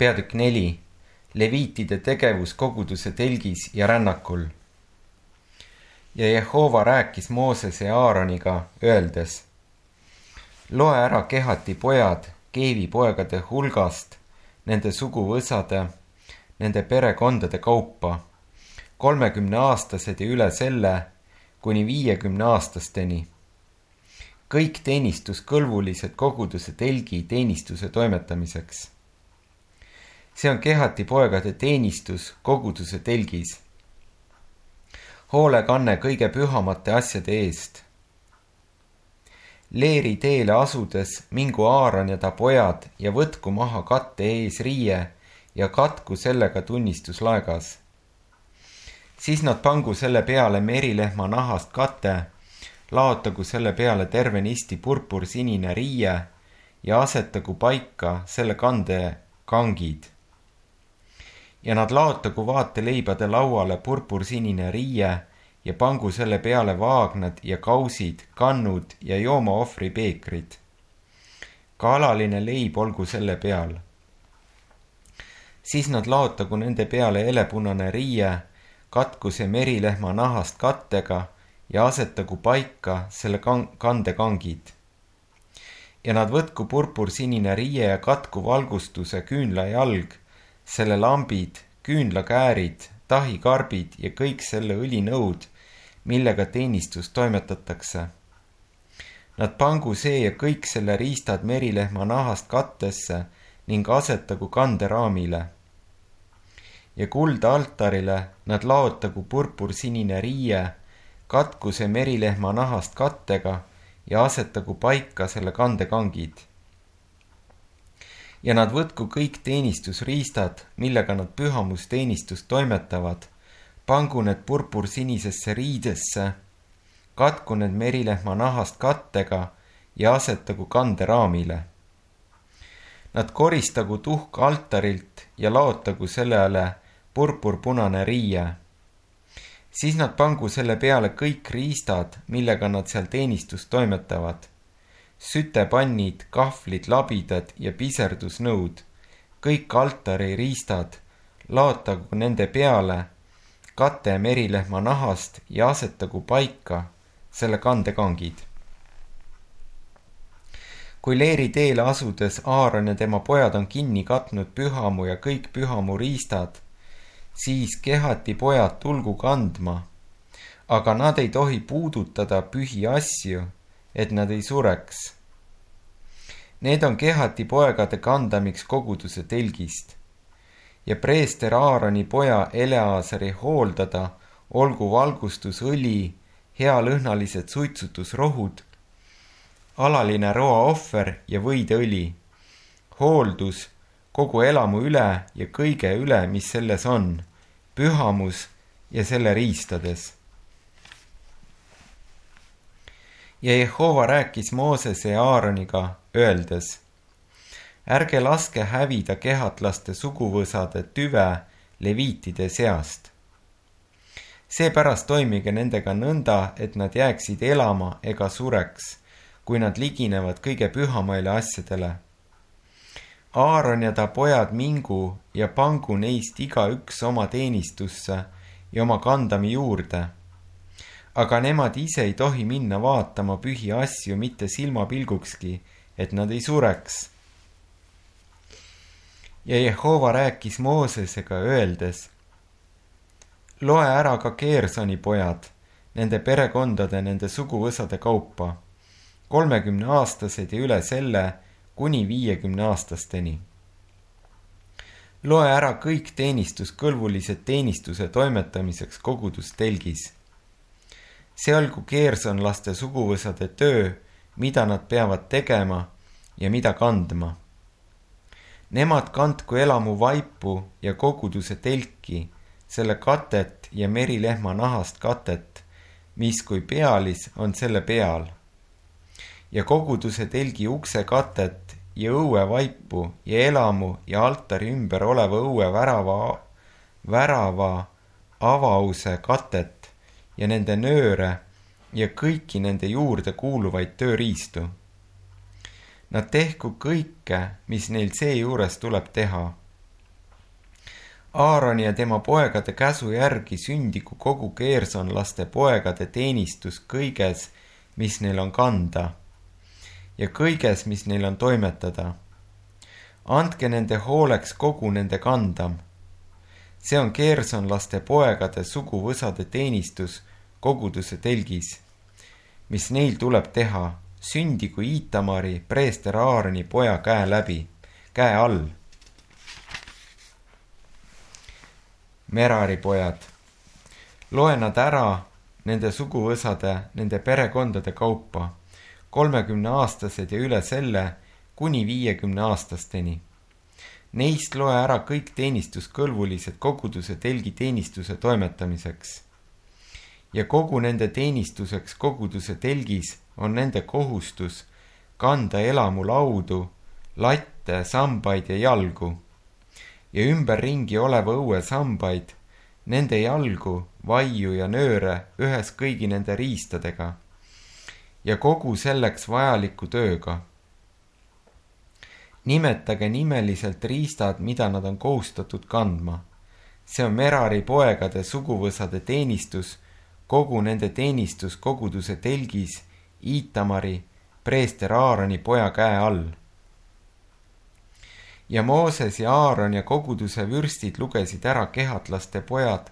Peatükk 4. Leviitide tegevus koguduse telgis ja rännakul. Ja Jehova rääkis Moosese ja Aaroniga, öeldes: loe ära Kehati pojad Keevi poegade hulgast, nende suguvõsade, nende perekondade kaupa, 30-aastased ja üle selle, kuni 50-aastasteni. Kõik teenistuskõlbulised koguduse telgi teenistuse toimetamiseks. See on Kehati poegade teenistus koguduse telgis. Hoolekanne kõige pühamate asjade eest. Leeri teele asudes mingu Aaron ja ta pojad ja võtku maha katte ees riie ja katku sellega tunnistuslaegas. Siis nad pangu selle peale merilehma nahast kate, laotagu selle peale tervenisti purpursinine riie ja asetagu paika selle kande kangid. Ja nad laotagu vaateleibade lauale purpursinine riie ja pangu selle peale vaagnad ja kausid, kannud ja joomaohvri peekrid. Ka alaline leib olgu selle peal. Siis nad laotagu nende peale elepunane riie, katku see merilehma nahast kattega ja asetagu paika selle kande kangid. Ja nad võtku purpursinine riie ja katku valgustuse küünla jalg, selle lambid, küünlakäärid, tahikarbid ja kõik selle õlinõud, millega teenistus toimetatakse. Nad pangu see ja kõik selle riistad merilehma nahast kattesse ning asetagu kanderaamile. Ja kulda altarile nad laotagu purpursinine riie, katku see merilehma nahast kattega ja asetagu paika selle kandekangid. Ja nad võtku kõik teenistusriistad, millega nad pühamusteenistust toimetavad, pangu need purpursinisesse riidesse, katku need merilehma nahast kattega ja asetagu kanderaamile. Nad koristagu tuhka altarilt ja laotagu sellele purpurpunane riie. Siis nad pangu selle peale kõik riistad, millega nad seal teenistust toimetavad. Sütepannid, kahvlid, labidad ja piserdusnõud, kõik altari riistad, laotagu nende peale kate merilehma nahast ja asetagu paika selle kandekangid. Kui Leeri teele asudes Aaron ja tema pojad on kinni katnud pühamu ja kõik pühamu riistad, siis Kehati pojad tulgu kandma, aga nad ei tohi puudutada pühi asju, et nad ei sureks. Need on Kehati poegade kandamiks koguduse telgist. Ja preester Aaroni poja Eleazari hooldada olgu valgustusõli, healõhnalised suitsutusrohud, alaline roaohver ja võideõli, hooldus kogu elamu üle ja kõige üle, mis selles on, pühamus ja selle riistades. Ja Jehova rääkis Moosese ja Aaroniga, öeldes: ärge laske hävida kehatlaste suguvõsade tüve leviitide seast. Seepärast toimige nendega nõnda, et nad jääksid elama ega sureks, kui nad liginevad kõige pühamaile asjadele. Aaron ja ta pojad mingu ja pangu neist igaüks oma teenistusse ja oma kandami juurde. Aga nemad ise ei tohi minna vaatama pühi asju mitte silmapilgukski, et nad ei sureks. Ja Jehova rääkis Moosesega, öeldes: loe ära ka Geersoni pojad, nende perekondade, nende suguvõsade kaupa, 30-aastased ja üle selle, kuni 50-aastasteni. Loe ära kõik teenistuskõlbulised teenistuse toimetamiseks kogudustelgis. See olgu Geersonlaste suguvõsade töö, mida nad peavad tegema ja mida kandma. Nemad kandku elamu vaipu ja koguduse telki, selle katet ja merilehma nahast katet, mis kui pealis on selle peal. Ja koguduse telgi ukse katet ja õue vaipu ja elamu ja altari ümber oleva õue värava avause katet ja nende nööre ja kõiki nende juurde kuuluvaid tööriistu. Nad tehku kõike, mis neil seejuures tuleb teha. Aaroni ja tema poegade käsu järgi sündigu kogu Geersonlaste poegade teenistus kõiges, mis neil on kanda, ja kõiges, mis neil on toimetada. Andke nende hooleks kogu nende kandam. See on Geersonlaste poegade suguvõsade teenistus koguduse telgis, mis neil tuleb teha, sündigu Iitamari, preester Aaroni poja käe all. Merari pojad. Loe nad ära nende suguvõsade, nende perekondade kaupa, 30-aastased ja üle selle kuni 50-aastasteni. Neist loe ära kõik teenistuskõlbulised koguduse telgi teenistuse toimetamiseks. Ja kogu nende teenistuseks koguduse telgis on nende kohustus kanda elamu laudu, latte, sambaid ja jalgu ja ümberringi oleva õue sambaid, nende jalgu, vaiu ja nööre ühes kõigi nende riistadega ja kogu selleks vajaliku tööga. Nimetage nimeliselt riistad, mida nad on kohustatud kandma. See on Merari poegade suguvõsade teenistus, kogu nende teenistus koguduse telgis Iitamari, preester Aaroni poja käe all. Ja Mooses ja Aaron ja koguduse vürstid lugesid ära kehatlaste pojad,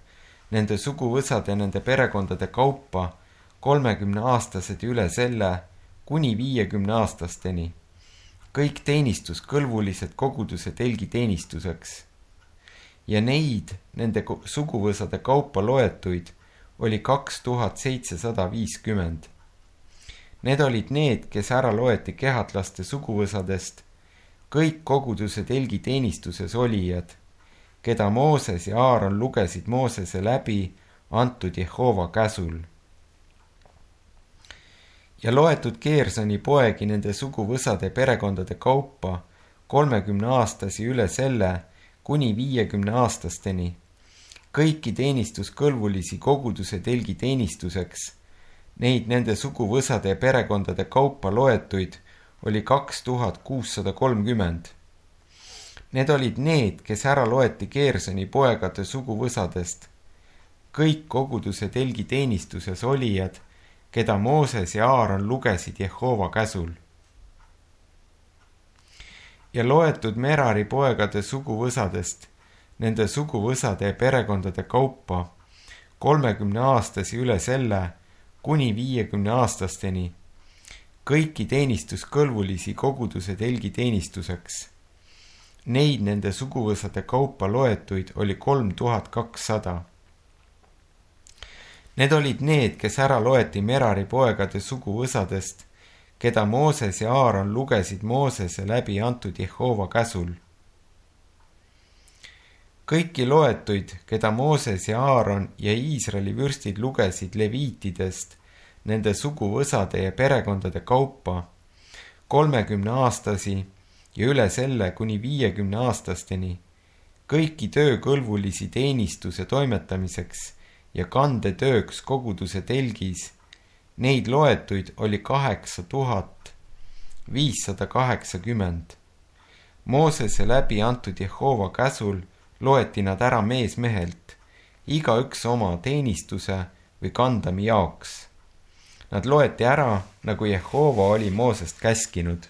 nende suguvõsade ja nende perekondade kaupa, 30-aastased üle selle kuni 50-aastasteni. Kõik teenistuskõlbulised koguduse telgi teenistuseks. Ja neid, nende suguvõsade kaupa loetuid, oli 2750. Need olid need, kes ära loeti kehatlaste suguvõsadest, kõik koguduse telgi teenistuses olijad, keda Mooses ja Aaron lugesid Moosese läbi antud Jehova käsul. Ja loetud Geersoni poegi nende suguvõsade perekondade kaupa 30-aastasi üle selle kuni 50-aastasteni, kõiki teenistuskõlbulisi koguduse telgi teenistuseks, neid nende suguvõsade ja perekondade kaupa loetuid oli 2630. Need olid need, kes ära loeti Geersoni poegade suguvõsadest, kõik koguduse telgi teenistuses olijad, keda Mooses ja Aaron lugesid Jehova käsul. Ja loetud Merari poegade suguvõsadest, nende suguvõsade ja perekondade kaupa, 30-aastasi üle selle kuni 50-aastasteni, kõiki teenistuskõlbulisi koguduse telgi teenistuseks. Neid nende suguvõsade kaupa loetuid oli 3200. Need olid need, kes ära loeti Merari poegade suguvõsadest, keda Mooses ja Aaron lugesid Moosese läbi antud Jehova käsul. Kõiki loetuid, keda Mooses ja Aaron ja Iisraeli vürstid lugesid leviitidest, nende suguvõsade ja perekondade kaupa, 30-aastasi ja üle selle kuni 50-aastasteni, kõiki töökõlbulisi teenistuse toimetamiseks ja kandetööks koguduse telgis, neid loetuid oli 8580. Moosese läbi antud Jehova käsul loeti nad ära mees mehelt, igaüks oma teenistuse või kandami jaoks. Nad loeti ära, nagu Jehova oli Moosest käskinud.